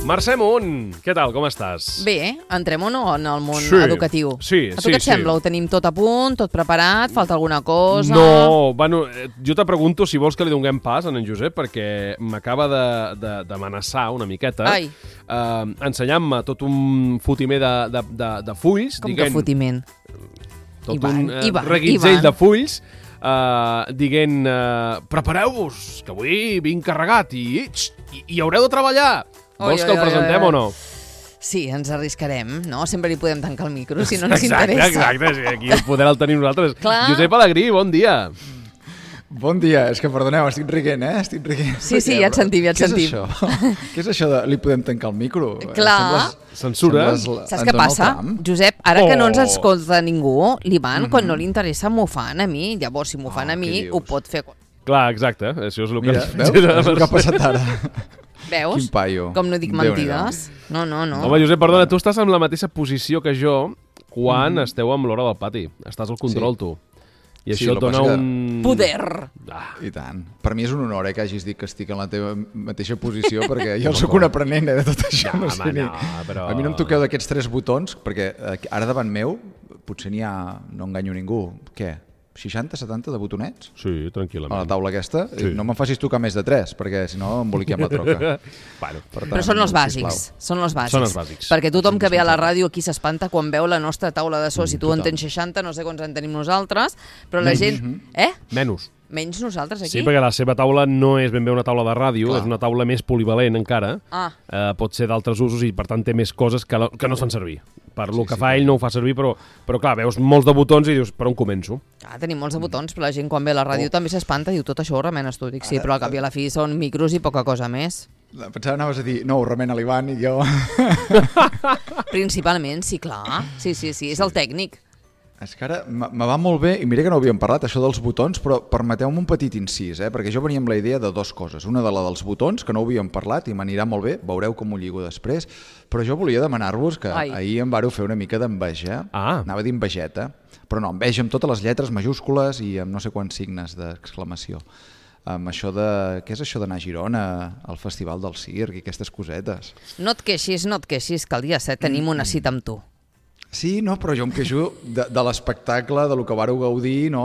Mercè Munt, què tal, com estàs? Bé, entrem o no en el món educatiu? Sí, a tu què et sembla? Ho tenim tot a punt, tot preparat? Falta alguna cosa? No, bueno, jo te pregunto si vols que li donem pas a en Josep, perquè m'acaba d'amenaçar una miqueta ensenyant-me tot un fotimer de fulls. Com que fotiment? Tot un reguitzell de fulls dient prepareu-vos, que avui vinc carregat i haureu de treballar. Vols que el presentem o no? Sí, ens arriscarem, no? Sempre li podem tancar el micro, si no ens interessa. Exacte, aquí el poder el tenim nosaltres. Josep Alegrí, bon dia. Bon dia, és que perdoneu, estic riguent, Estic riguent. Sí, ja et sentim, Què és això? Què és això de li podem tancar el micro? Clar. Censura. Saps què passa? Josep, ara que no ens escolta ningú, l'Ivan, quan no li interessa, m'ho fan a mi. Llavors, si m'ho fan a mi, ho pot fer... Clar, exacte. Això és el que... Mira, veus? És el que ha passat ara. Veus? Quin paio. Com no dic mentides? No. Home, Josep, perdona, tu estàs en la mateixa posició que jo quan esteu amb l'hora del pati. Estàs al control, tu. I això et dona un... Poder! I tant. Per mi és un honor que hagis dit que estic en la teva mateixa posició, perquè jo sóc un aprenent de tot això. Però... A mi no em toqueu d'aquests 3 botons, perquè ara davant meu potser n'hi ha... No enganyo ningú. Què? 60, 70 de botonets? Sí, tranquil·lament. A la taula aquesta? Sí. No me'n facis tocar més de 3, perquè si no emboliquem la troca. Bueno, però són els bàsics. Són els bàsics. Perquè tothom que ve a la ràdio aquí s'espanta quan veu la nostra taula de so. Si tu en tens 60, no sé quants en tenim nosaltres, però la gent... Menys nosaltres aquí? Sí, perquè la seva taula no és ben bé una taula de ràdio, és una taula més polivalent encara. Pot ser d'altres usos i per tant té més coses que no es fan servir. Per lo que fa ell no ho fa servir, però clar, veus molts de botons i dius, per on començo? Tenim molts de botons, però la gent quan ve a la ràdio també s'espanta i diu, tot això ho remenes tu. Dic, sí, però al cap i a la fi són micros i poca cosa més. Pensava anaves a dir, no, ho remena l'Ivan i jo... Principalment, sí, clar. Sí, és el tècnic. És que ara me va molt bé, i mira que no havíem parlat, això dels botons, però permeteu-me un petit incís, perquè jo venia amb la idea de 2 coses. Una de la dels botons, que no ho havíem parlat i m'anirà molt bé, veureu com ho lligo després, però jo volia demanar-vos que ahir em vareu fer una mica d'enveja, anava a dir envejeta, però no, enveja amb totes les lletres majúscules i amb no sé quants signes d'exclamació. Amb això de... Què és això d'anar a Girona, al Festival del Circ i aquestes cosetes? No et queixis, que el dia 7 tenim una cita amb tu. Sí, no, però jo em queixo de l'espectacle, de lo que vareu gaudir, no?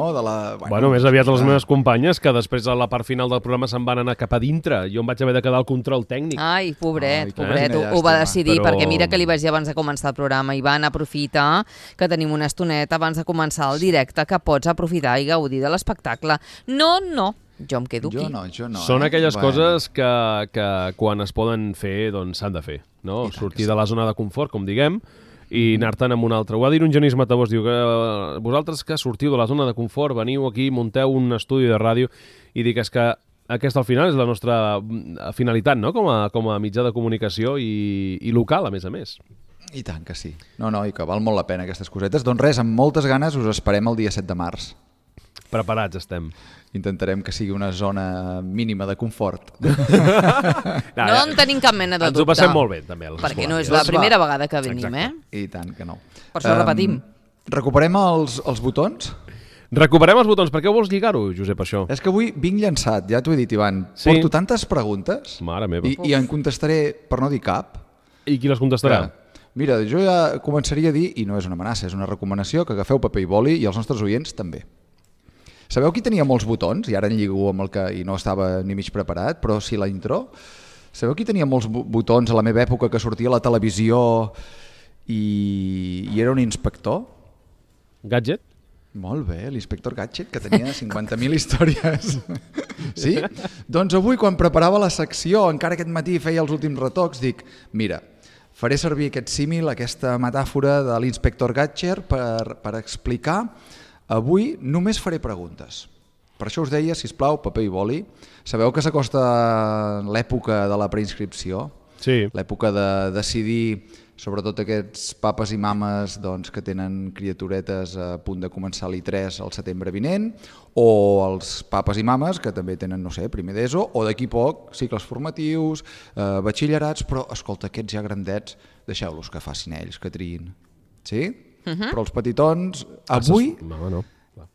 Bueno, més aviat les meves companyes, que després a la part final del programa se'n van anar cap a dintre. Jo em vaig haver de quedar al control tècnic. Ai, pobret, ho va decidir, perquè mira que li vaig dir abans de començar el programa, Ivan, aprofita que tenim una estoneta abans de començar el directe, que pots aprofitar i gaudir de l'espectacle. No, jo em quedo aquí. Jo no. Són aquelles coses que quan es poden fer, doncs s'han de fer, no? Sortir de la zona de confort, com diguem, i anar-te'n amb un altre. Ho va dir un Genís Matabós, diu que vosaltres que sortiu de la zona de confort, veniu aquí, munteu un estudi de ràdio, i dic, és que aquesta al final és la nostra finalitat, no? Com a mitjà de comunicació i local, a més. I tant que sí. No, i que val molt la pena aquestes cosetes. Doncs res, amb moltes ganes us esperem el dia 7 de març. Preparats estem. Intentarem que sigui una zona mínima de confort. No en tenim cap mena de dubte. Ens ho passem molt bé, també. Perquè no és la primera vegada que venim, I tant que no. Per això repetim. Recuperem els botons? Recuperem els botons. Per què vols lligar-ho, Josep, això? És que avui vinc llançat, ja t'ho he dit, Ivan. Porto tantes preguntes Mare meva. I en contestaré, per no dir cap. I qui les contestarà? Mira, jo ja començaria a dir, i no és una amenaça, és una recomanació, que agafeu paper i boli i els nostres oients també. Sabeu qui tenia molts botons? I ara en lligo amb el que i no estava ni mig preparat, però sí la intro. Sabeu qui tenia molts botons a la meva època que sortia a la televisió i era un inspector? Gadget? Molt bé, l'inspector Gadget, que tenia 50.000 històries. Sí? Doncs avui, quan preparava la secció, encara aquest matí feia els últims retocs, dic, mira, faré servir aquest símil, aquesta metàfora de l'inspector Gadget per explicar. Avui només faré preguntes. Per això us deia, sisplau, paper i boli. Sabeu que s'acosta l'època de la preinscripció? Sí. L'època de decidir, sobretot aquests papes i mames que tenen criaturetes a punt de començar l'I3 al setembre vinent, o els papes i mames que també tenen, no sé, primer d'ESO, o d'aquí poc, cicles formatius, batxillerats, però, escolta, aquests ja grandets, deixeu-los que facin ells, que triïn. Sí? Però els petitons, avui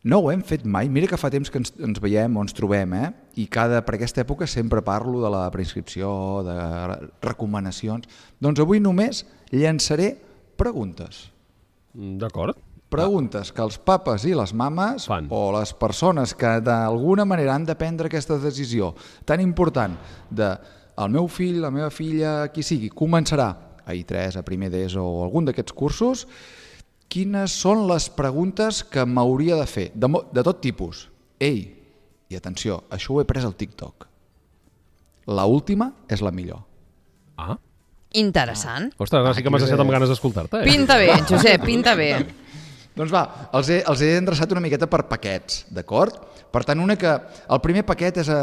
No ho hem fet mai. Mira que fa temps que ens veiem o ens trobem, i per aquesta època sempre parlo de la preinscripció, de recomanacions. Doncs avui només llançaré preguntes. D'acord. Preguntes que els papes i les mames o les persones que d'alguna manera han de prendre aquesta decisió tan important de el meu fill, la meva filla, qui sigui, començarà a I3, a primer d'ESO o algun d'aquests cursos, quines són les preguntes que m'hauria de fer, de tot tipus. Ei, i atenció, això ho he pres al TikTok. L'última és la millor. Ah. Interessant. Ostres, sí que m'has deixat amb ganes d'escoltar-te. Pinta bé, Josep, pinta bé. Doncs va, els he endreçat una miqueta per paquets, d'acord? Per tant, el primer paquet és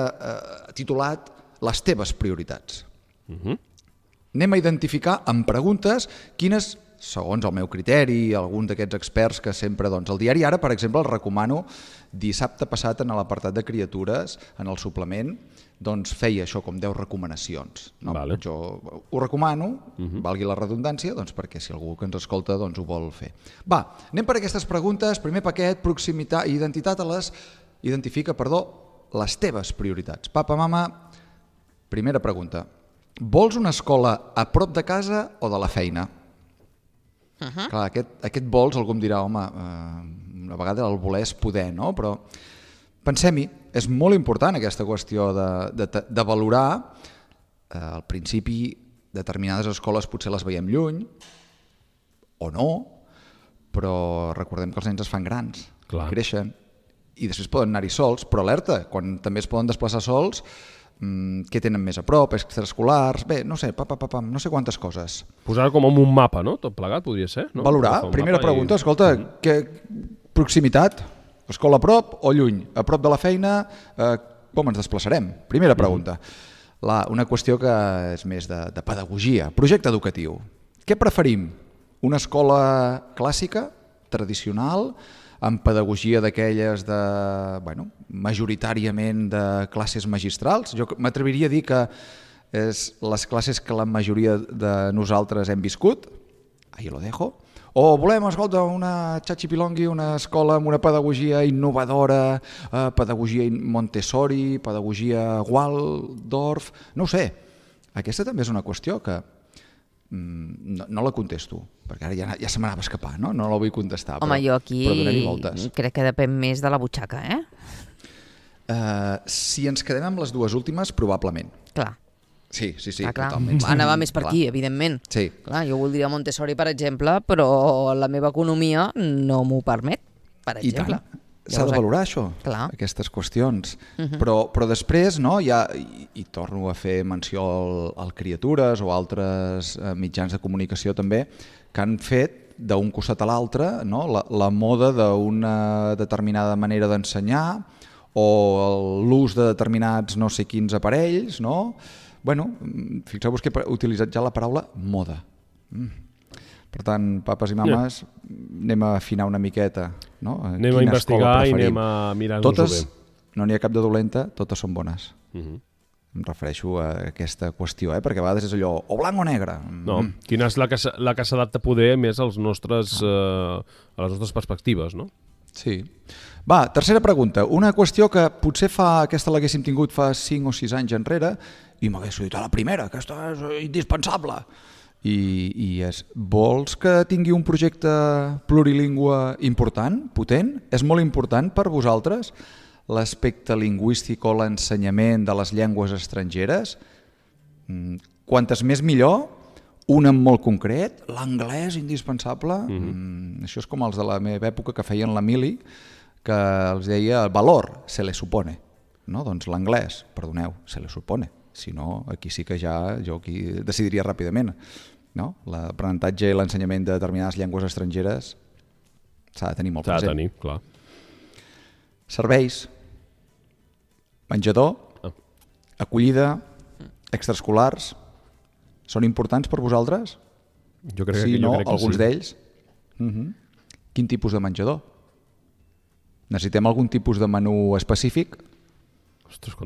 titulat Les teves prioritats. Anem a identificar amb preguntes quines, segons el meu criteri, algun d'aquests experts que sempre, doncs, el diari Ara, per exemple, el recomano, dissabte passat en l'apartat de criatures, en el suplement, doncs feia això com 10 recomanacions. No? Vale. Jo ho recomano, valgui la redundància, doncs perquè si algú que ens escolta doncs ho vol fer. Va, anem per aquestes preguntes. Primer paquet, proximitat i identitat identifica les teves prioritats. Papa, mama, primera pregunta. Vols una escola a prop de casa o de la feina? Clar, aquest vols, algú em dirà, home, una vegada el voler és poder, no? Però pensem-hi, és molt important aquesta qüestió de valorar. Al principi, determinades escoles potser les veiem lluny, o no, però recordem que els nens es fan grans, creixen, i després poden anar-hi sols, però alerta, quan també es poden desplaçar sols, què tenen més a prop, extraescolars, bé, no sé, no sé quantes coses. Posar com en un mapa, no? Tot plegat podria ser, no? Valorar, primera pregunta, escolta, proximitat, escola a prop o lluny? A prop de la feina, com ens desplaçarem? Primera pregunta. Una qüestió que és més de pedagogia, projecte educatiu. Què preferim? Una escola clàssica, tradicional, amb pedagogia d'aquelles majoritàriament de classes magistrals? Jo m'atreviria a dir que és les classes que la majoria de nosaltres hem viscut, ahí lo dejo, o volem, escolta, una xachi-pilongui, una escola amb una pedagogia innovadora, pedagogia Montessori, pedagogia Waldorf, no ho sé. Aquesta també és una qüestió que no la contesto, perquè ara ja se m'anava a escapar, no la vull contestar. Home, jo aquí crec que depèn més de la butxaca, Si ens quedem amb les dues últimes, probablement. Clar. Sí, totalment. Anava més per aquí, evidentment. Sí. Clar, jo voldria Montessori, per exemple, però la meva economia no m'ho permet, per exemple. I tant. S'ha de valorar això, aquestes qüestions. Però després, i torno a fer menció al Criatures o altres mitjans de comunicació també, que han fet d'un costat a l'altre la moda d'una determinada manera d'ensenyar o l'ús de determinats no sé quins aparells. Fixeu-vos que he utilitzat ja la paraula moda. Per tant, papes i mames, anem a afinar una miqueta. Anem a investigar i anem a mirar-nos-ho bé. No n'hi ha cap de dolenta, totes són bones. Em refereixo a aquesta qüestió, perquè a vegades és allò, o blanc o negre. No, quina és la que s'adapta poder més a les nostres perspectives, no? Sí. Va, tercera pregunta. Una qüestió que potser aquesta l'haguéssim tingut fa 5 o 6 anys enrere i m'hagués dit, la primera, aquesta és indispensable. I és, vols que tingui un projecte plurilingüe important, potent? És molt important per vosaltres l'aspecte lingüístic o l'ensenyament de les llengües estrangeres? Quantes més millor, un en molt concret, l'anglès indispensable. Això és com els de la meva època que feien la mili, que els deia valor, se le supone. Doncs l'anglès, perdoneu, se le supone. Si no, aquí sí que ja jo aquí decidiria ràpidament. L'aprenentatge i l'ensenyament de determinades llengües estrangeres s'ha de tenir molt present. S'ha de tenir, clar. Serveis, menjador, acollida, extraescolars, són importants per vosaltres? Jo crec que sí. Alguns d'ells? Quin tipus de menjador? Necessitem algun tipus de menú específic?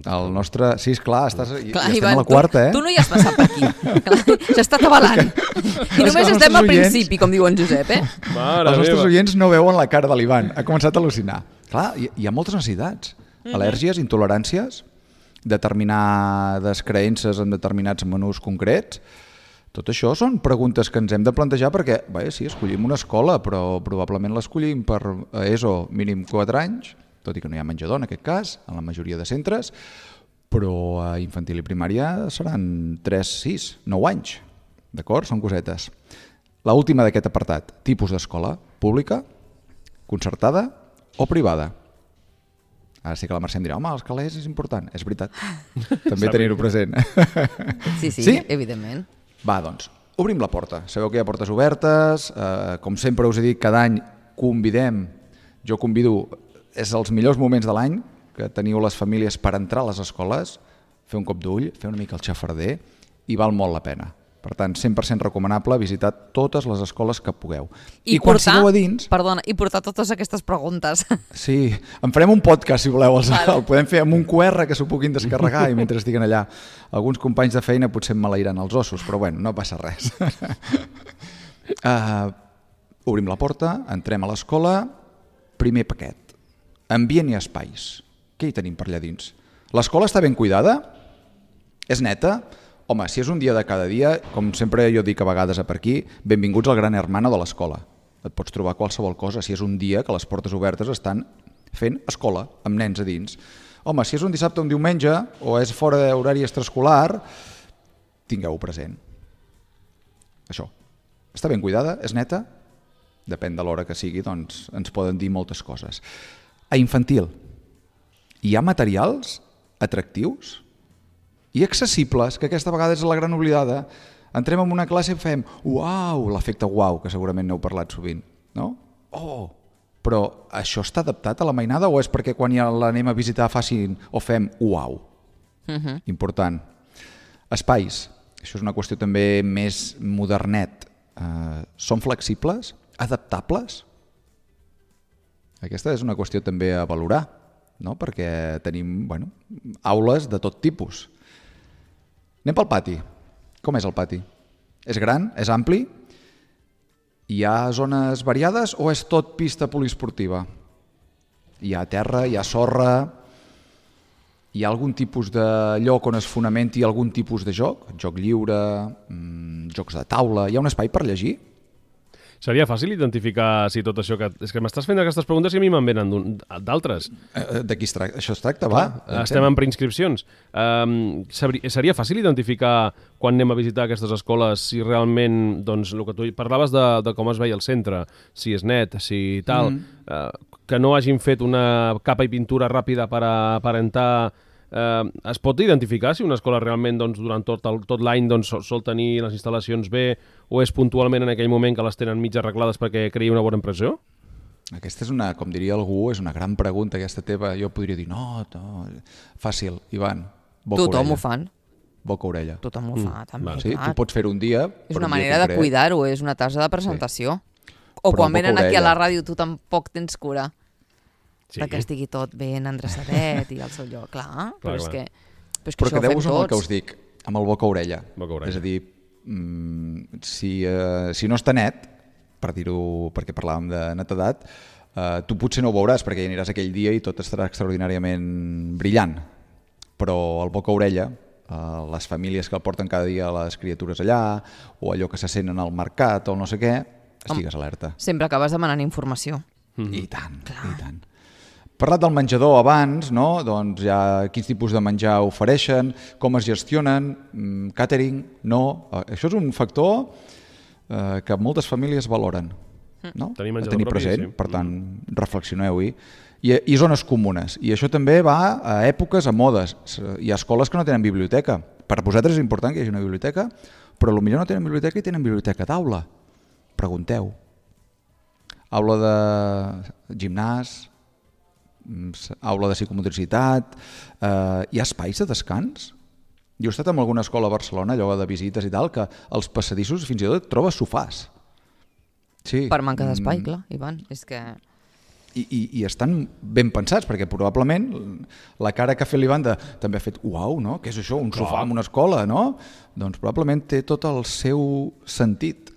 El nostre... Sí, esclar, estem a la quarta, Tu no hi has passat per aquí. S'ha estat avalant. I només estem al principi, com diu en Josep, Els nostres oients no veuen la cara de l'Ivan. Ha començat a al·lucinar. Clar, hi ha moltes necessitats. Al·lèrgies, intoleràncies, determinades creences en determinats menús concrets. Tot això són preguntes que ens hem de plantejar perquè, sí, escollim una escola, però probablement l'escollim per ESO mínim 4 anys, tot i que no hi ha menjador en aquest cas, en la majoria de centres, però a infantil i primària seran 3, 6, 9 anys. D'acord? Són cosetes. L'última d'aquest apartat, tipus d'escola, pública, concertada o privada. Ara sí que la Mercè em dirà, home, els calés és important. És veritat, també tenir-ho present. Sí, evidentment. Va, doncs, obrim la porta. Sabeu que hi ha portes obertes, com sempre us he dit, cada any convidem, jo convido, és els millors moments de l'any que teniu les famílies per entrar a les escoles, fer un cop d'ull, fer una mica el xafarder, i val molt la pena. Per tant, 100% recomanable visitar totes les escoles que pugueu. I quan sigueu a dins... Perdona, i portar totes aquestes preguntes. Sí, en farem un podcast, si voleu. El podem fer amb un QR que s'ho puguin descarregar i mentre estiguen allà. Alguns companys de feina potser em malairan els ossos, però bueno, no passa res. Obrim la porta, entrem a l'escola, primer paquet. Ambient i espais. Què hi tenim per allà dins? L'escola està ben cuidada? És neta? Home, si és un dia de cada dia, com sempre jo dic a vegades per aquí, benvinguts al gran hermano de l'escola. Et pots trobar qualsevol cosa si és un dia que les portes obertes estan fent escola, amb nens a dins. Home, si és un dissabte o un diumenge, o és fora d'horari extraescolar, tingueu-ho present. Això. Està ben cuidada? És neta? Depèn de l'hora que sigui, doncs ens poden dir moltes coses. A infantil, hi ha materials atractius i accessibles, que aquesta vegada és la gran oblidada. Entrem en una classe i fem uau, l'efecte uau, que segurament n'heu parlat sovint, no? Oh, però això està adaptat a la mainada o és perquè quan ja l'anem a visitar facin o fem uau? Important. Espais, això és una qüestió també més modernet. Són flexibles? Adaptables? Aquesta és una qüestió també a valorar, no? Perquè tenim aules de tot tipus. Anem pel pati. Com és el pati? És gran? És ampli? Hi ha zones variades o és tot pista poliesportiva? Hi ha terra, hi ha sorra, hi ha algun tipus de lloc on es fonamenti algun tipus de joc? Joc lliure, jocs de taula, hi ha un espai per llegir? Seria fàcil identificar si tot això que... És que m'estàs fent aquestes preguntes i a mi me'n venen d'altres. Això es tracta, va. Estem en preinscripcions. Seria fàcil identificar quan anem a visitar aquestes escoles si realment, doncs, el que tu parlaves de com es veia el centre, si és net, si tal, que no hagin fet una capa i pintura ràpida per aparentar... Es pot identificar si una escola realment durant tot l'any sol tenir les instal·lacions bé o és puntualment en aquell moment que les tenen mig arreglades perquè creï una bona impressió? Aquesta és una, com diria algú, és una gran pregunta aquesta teva. Jo podria dir, no, fàcil, Ivan, boca-orella. Tothom ho fan. Boca-orella. Tothom ho fa, també. Sí, tu pots fer un dia... És una manera de cuidar-ho, és una tassa de presentació. O quan venen aquí a la ràdio tu tampoc tens cura. Que estigui tot ben endreçadet i al seu lloc, clar. Però és que això ho fem tots. Però quedeu-vos amb el que us dic, amb el boca-orella. És a dir, si no està net, per dir-ho, perquè parlàvem de netedat, tu potser no ho veuràs perquè hi aniràs aquell dia i tot estarà extraordinàriament brillant. Però el boca-orella, les famílies que el porten cada dia a les criatures allà, o allò que se senten al mercat o no sé què, estigues alerta. Sempre acabes demanant informació. I tant, i tant. Parlat del menjador abans, no? Doncs ja quins tipus de menjar ofereixen, com es gestionen, càtering, no. Això és un factor que moltes famílies valoren, no? Tenir present, per tant, reflexioneu-hi. I zones comunes. I això també va a èpoques, a modes. Hi ha escoles que no tenen biblioteca. Per vosaltres és important que hi hagi una biblioteca, però potser no tenen biblioteca i tenen biblioteca d'aula. Pregunteu. Aula de gimnàs, aula de psicomotricitat, hi ha espais de descans? Jo he estat en alguna escola a Barcelona, allò de visites i tal, que als passadissos fins i tot trobes sofàs. Sí. Per manca d'espai, clar, Ivan, és que... I estan ben pensats, perquè probablement la cara que ha fet l'Ivan també ha fet uau, no? Què és això? Un sofà en una escola, no? Doncs probablement té tot el seu sentit.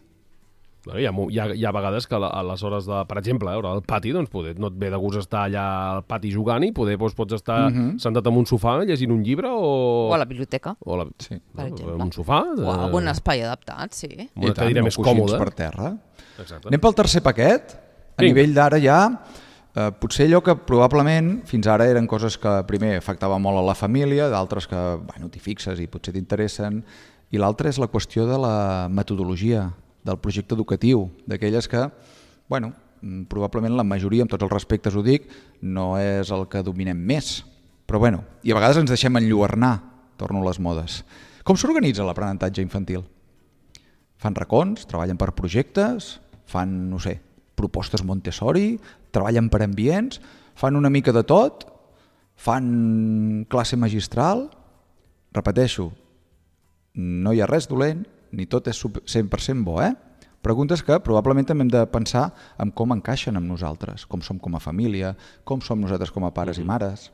Hi ha vegades que a les hores de, per exemple, al pati, doncs no et ve de gust estar allà al pati jugant i pots estar sentat en un sofà llegint un llibre o a la biblioteca. Sí. Per exemple. En un sofà. O algun espai adaptat, sí. Amb una cadira més còmoda. Per terra. Exacte. Anem pel tercer paquet. A nivell d'ara ja, potser allò que probablement fins ara eren coses que primer afectaven molt a la família, d'altres que t'hi fixes i potser t'interessen, i l'altra és la qüestió de la metodologia, del projecte educatiu, d'aquelles que, probablement la majoria, amb tots els respectes ho dic, no és el que dominem més. Però i a vegades ens deixem enlluernar, torno a les modes. Com s'organitza l'aprenentatge infantil? Fan racons, treballen per projectes, fan, propostes Montessori, treballen per ambients, fan una mica de tot, fan classe magistral. Repeteixo, no hi ha res dolent, ni tot és 100% bo, Preguntes que probablement també hem de pensar en com encaixen amb nosaltres, com som com a família, com som nosaltres com a pares i mares.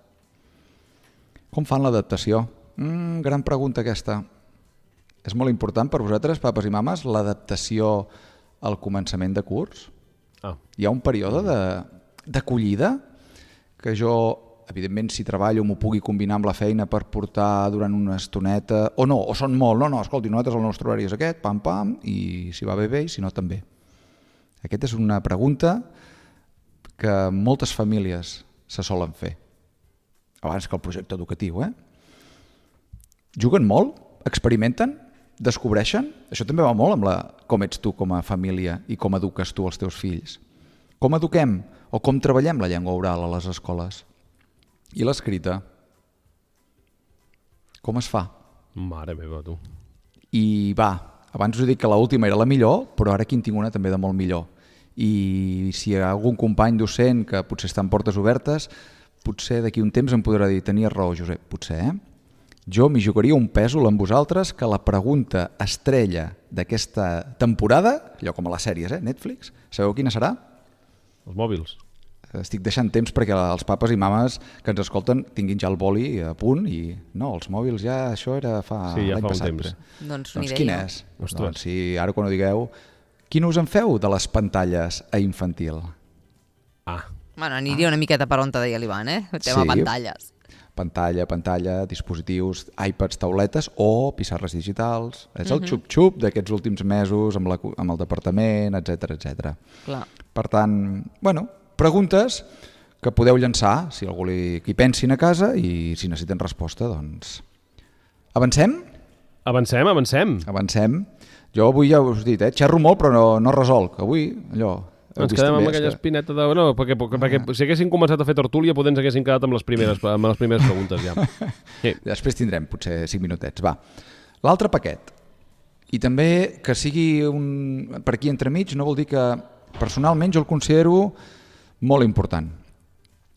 Com fan l'adaptació? Gran pregunta aquesta. És molt important per vosaltres, papes i mames, l'adaptació al començament de curs? Hi ha un període d'acollida que jo, evidentment, si treballo m'ho pugui combinar amb la feina per portar durant una estoneta, o no, o són molt, escolti, nosaltres el nostre horari és aquest, pam, i si va bé, i si no també. Aquesta és una pregunta que moltes famílies se solen fer, abans que el projecte educatiu. Juguen molt? Experimenten? Descobreixen? Això també va molt amb com ets tu com a família i com eduques tu els teus fills. Com eduquem o com treballem la llengua oral a les escoles? I l'escrita? Com es fa? Mare meva, tu. I abans us he dit que l'última era la millor, però ara aquí en tinc una també de molt millor. I si hi ha algun company docent que potser està en portes obertes, potser d'aquí un temps em podrà dir, tenies raó, Josep, potser, Jo m'hi jugaria un pèsol amb vosaltres que la pregunta estrella d'aquesta temporada, allò com a les sèries, Netflix, sabeu quina serà? Els mòbils. Estic deixant temps perquè els papes i mames que ens escolten tinguin ja el boli a punt i no, els mòbils ja, això era l'any passat. Temps. Doncs quin és? Doncs si ara quan ho digueu, quin us en feu de les pantalles a infantil? Aniria una miqueta per on te deia l'Ivan, tema pantalles. Pantalla, dispositius, iPads, tauletes o pissarres digitals. És el xup-xup d'aquests últims mesos amb el departament, etc. Clar. Per tant, preguntes que podeu llançar, si algú hi pensin a casa i si necessiten resposta, doncs... Avancem? Avancem. Jo avui ja us he dit, xerro molt però no resolc. Avui, allò... Ens quedem amb aquella espineta de... No, perquè si haguessin començat a fer tertúlia potser ens haguessin quedat amb les primeres preguntes ja. Sí. Després tindrem potser 5 minutets. L'altre paquet. I també que sigui per aquí entremig no vol dir que personalment jo el considero molt important.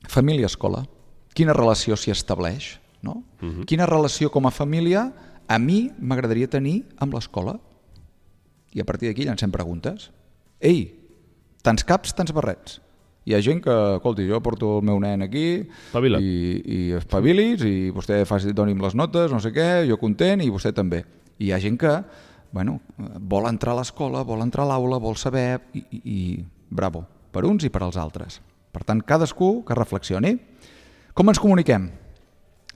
Família-escola. Quina relació s'hi estableix? No? Quina relació com a família a mi m'agradaria tenir amb l'escola? I a partir d'aquí llancem preguntes. Ei, tants caps, tants barrets. Hi ha gent que, escolti, jo porto el meu nen aquí i espavilis i vostè doni'm les notes, no sé què, jo content i vostè també. I hi ha gent que vol entrar a l'escola, vol entrar a l'aula, vol saber i bravo, per uns i per als altres. Per tant, cadascú que reflexioni. Com ens comuniquem?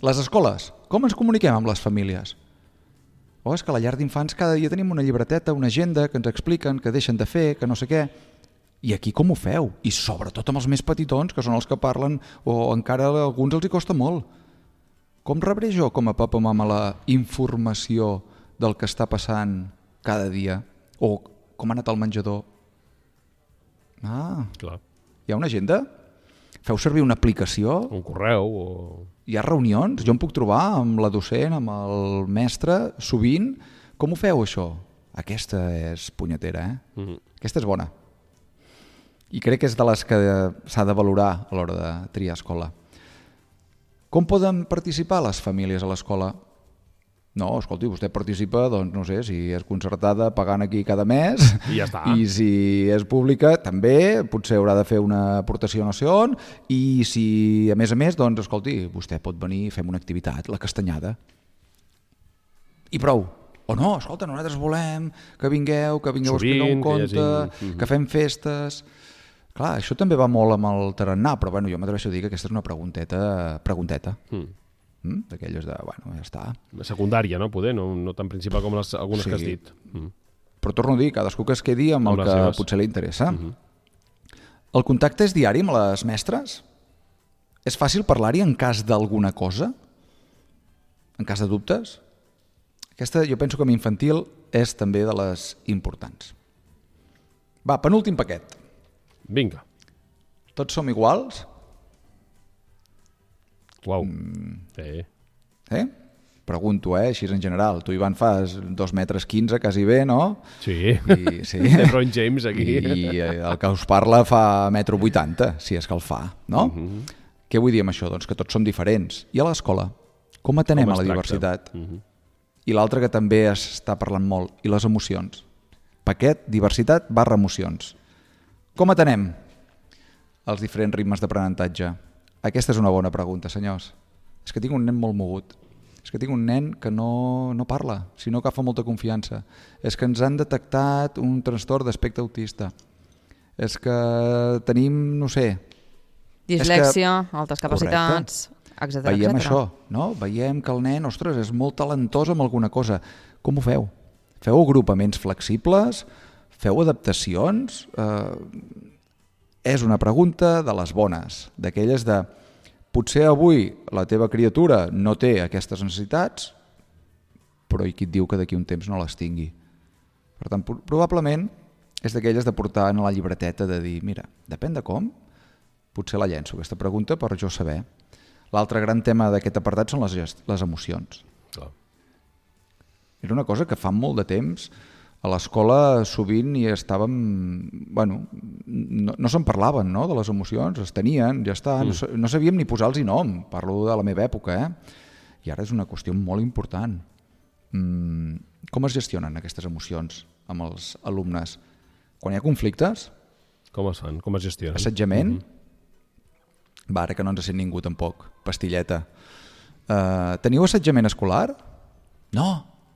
Les escoles, com ens comuniquem amb les famílies? És que a la llar d'infants cada dia tenim una llibreteta, una agenda que ens expliquen, que deixen de fer, que no sé què. I aquí com ho feu? I sobretot amb els més petitons, que són els que parlen, o encara a alguns els hi costa molt. Com rebré jo com a papa o mama la informació del que està passant cada dia? O com ha anat al menjador? Clar. Hi ha una agenda? Feu servir una aplicació? Un correu? Hi ha reunions? Jo em puc trobar amb la docent, amb el mestre, sovint. Com ho feu, això? Aquesta és punyetera, Aquesta és bona. I crec que és de les que s'ha de valorar a l'hora de triar escola. Com poden participar les famílies a l'escola? No, escolti, vostè participa, doncs no sé, si és concertada pagant aquí cada mes i ja està. I si és pública també, potser haurà de fer una aportació no sé on, i si a més, doncs escolti, vostè pot venir i fem una activitat, la castanyada. I prou. O no, escolta, nosaltres volem que vingueu a explicar un conte, que fem festes... Clar, això també va molt amb el tarannà, però bueno, jo m'atreveixo a dir que aquesta és una pregunteta. D'aquelles de, bueno, ja està. Secundària, no? Poder, no tan principal com algunes que has dit. Però torno a dir, cadascú que es quedi amb el que potser li interessa. El contacte és diari amb les mestres? És fàcil parlar-hi en cas d'alguna cosa? En cas de dubtes? Aquesta, jo penso que amb infantil és també de les importants. Va, penúltim paquet. Vinga. Tots som iguals? Uau. Pregunto, així en general. Tu, Ivan, fas 2,15 metres, quasi bé, no? Sí. Sí. LeBron James, aquí. I el que us parla fa 1,80 m, si és que el fa, no? Què vull dir amb això? Doncs que tots som diferents. I a l'escola? Com atenem a la diversitat? I l'altre que també està parlant molt, i les emocions. Paquet, diversitat / emocions. Com atenem els diferents ritmes d'aprenentatge? Aquesta és una bona pregunta, senyors. És que tinc un nen molt mogut. És que tinc un nen que no parla, sinó que fa molta confiança. És que ens han detectat un trastorn d'espectre autista. És que tenim, no sé... Dislèxia, altes capacitats, etc. Veiem això, no? Veiem que el nen, ostres, és molt talentós amb alguna cosa. Com ho feu? Feu agrupaments flexibles? Feu adaptacions? És una pregunta de les bones, d'aquelles de potser avui la teva criatura no té aquestes necessitats, però i qui et diu que d'aquí un temps no les tingui? Per tant, probablement és d'aquelles de portar en la llibreteta de dir, mira, depèn de com, potser la llenço aquesta pregunta per jo saber. L'altre gran tema d'aquest apartat són les emocions. Era una cosa que fa molt de temps a l'escola sovint hi estàvem... Bueno, no se'n parlaven, no?, de les emocions, es tenien, ja està, no sabíem ni posar-los nom, parlo de la meva època, I ara és una qüestió molt important. Com es gestionen aquestes emocions amb els alumnes? Quan hi ha conflictes? Com es fan? Com es gestionen? Assetjament? Va, ara que no ens sent ningú tampoc, pastilleta. Teniu assetjament escolar? No,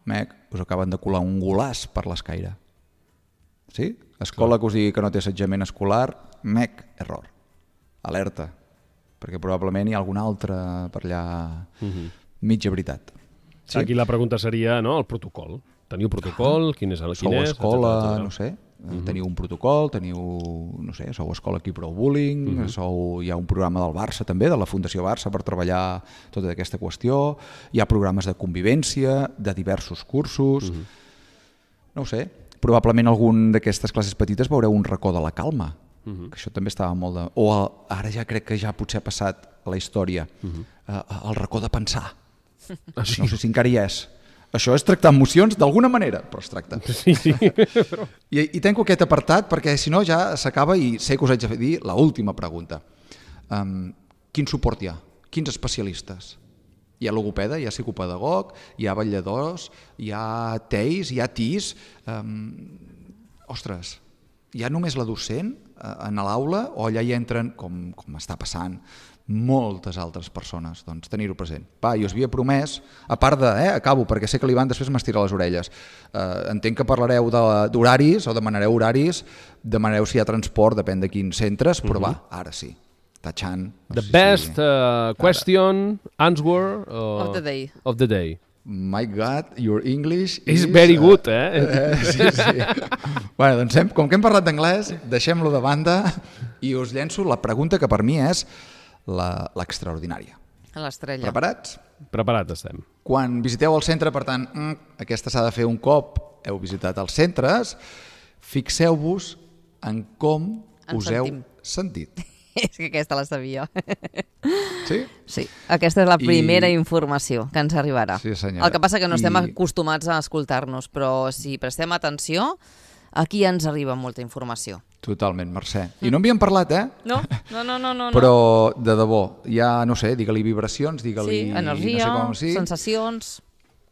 mec, us acaben de colar un golàs per l'escaire. Sí? Escola que us digui que no té assetjament escolar, mec, error. Alerta, perquè probablement hi ha alguna altra per allà mitja veritat. Sí? Aquí la pregunta seria, no?, el protocol. Teniu protocol? Quin és? Sou escola, no sé, teniu un protocol, teniu, no sé, sou escola aquí prou bullying, hi ha un programa del Barça també, de la Fundació Barça, per treballar tota aquesta qüestió, hi ha programes de convivència, de diversos cursos, no ho sé, probablement algun d'aquestes classes petites veureu un racó de la calma, que això també estava molt de... O ara ja crec que ja potser ha passat a la història, el racó de pensar, no sé si encara hi és. Això és tractar emocions d'alguna manera, però es tracta. Sí. I tanco aquest apartat perquè si no ja s'acaba i sé que us haig de dir l'última pregunta. Quin suport hi ha? Quins especialistes? Hi ha logopeda, hi ha psicopedagog, hi ha vetlladors, hi ha TEIs, hi ha TIs. Ostres, hi ha només la docent en l'aula o allà hi entren, com està passant, moltes altres persones, doncs tenir-ho present. Va, i us havia promès, a part de, acabo, perquè sé que l'Ivan després m'estira les orelles, entenc que parlareu d'horaris o demanareu horaris, demanareu si hi ha transport, depèn de quins centres, però va, ara sí, tachant. The best question, answer of the day. My God, your English is very good, Sí. Bueno, doncs com que hem parlat d'anglès, deixem-lo de banda i us llenço la pregunta que per mi és l'extraordinària. L'estrella. Preparats? Preparats estem. Quan visiteu el centre, per tant, aquesta s'ha de fer un cop heu visitat els centres, fixeu-vos en com us heu sentit. És que aquesta la sabia. Sí? Sí, aquesta és la primera informació que ens arribarà. Sí, senyora. El que passa que no estem acostumats a escoltar-nos, però si prestem atenció, aquí ens arriba molta informació. Totalment, Mercè. I no en havíem parlat, No. Però, de debò, hi ha, no sé, digue-li vibracions, digue-li... Sí, energia, no sé sensacions...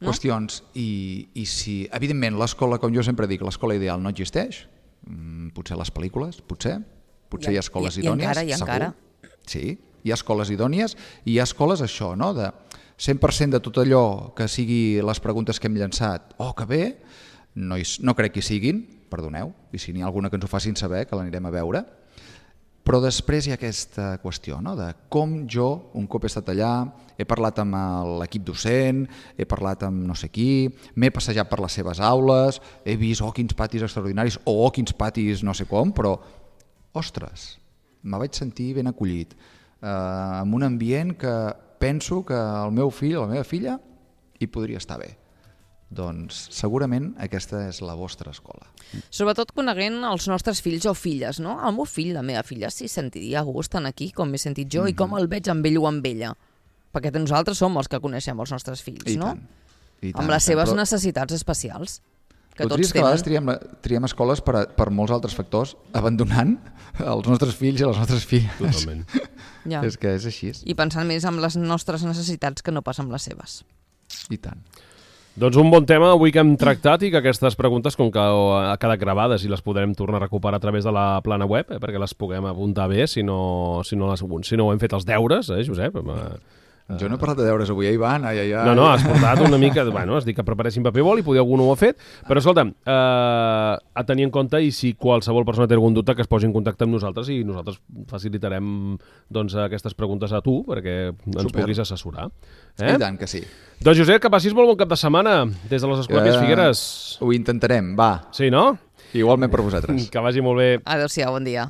Qüestions. I si, evidentment, l'escola, com jo sempre dic, l'escola ideal no existeix, potser les pel·lícules, potser hi ha escoles idònies, segur. Sí, hi ha escoles idònies i hi ha escoles això, no?, de 100% de tot allò que sigui les preguntes que hem llançat, que bé, no crec que hi siguin, perdoneu, i si n'hi ha alguna que ens ho facin saber, que l'anirem a veure. Però després hi ha aquesta qüestió, no?, de com jo, un cop he estat allà, he parlat amb l'equip docent, he parlat amb no sé qui, m'he passejat per les seves aules, he vist, quins patis extraordinaris, quins patis no sé com, però, ostres, me vaig sentir ben acollit, en un ambient que penso que el meu fill o la meva filla hi podria estar bé. Doncs segurament aquesta és la vostra escola. Sobretot coneguent els nostres fills o filles, no? El meu fill, la meva filla, s'hi sentiria a gust aquí, com m'he sentit jo, i com el veig amb ell o amb ella. Perquè nosaltres som els que coneixem els nostres fills, no? I tant, amb les seves necessitats especials. Que tots tenen. A vegades triem escoles per molts altres factors, abandonant els nostres fills i les nostres filles. Totalment. Ja. És que és així. I pensant més en les nostres necessitats que no pas en les seves. I tant. Doncs un bon tema avui que hem tractat i que aquestes preguntes, com que ha quedat gravades i les podrem tornar a recuperar a través de la plana web, perquè les puguem apuntar bé si no ho hem fet els deures, Josep? Jo no he parlat de deures avui, Ivan. No, has portat una mica... Bueno, has dit que preparessin paper i boli, potser algú no ho ha fet, però escolta'm, a tenir en compte, i si qualsevol persona té algun dubte, que es posi en contacte amb nosaltres i nosaltres facilitarem doncs, aquestes preguntes a tu perquè ens puguis assessorar. I tant que sí. Doncs Josep, que passis molt bon cap de setmana des de les Escòpies Figueres. Ho intentarem, va. Sí, no? Igualment per vosaltres. Que vagi molt bé. Adéu-siau, bon dia.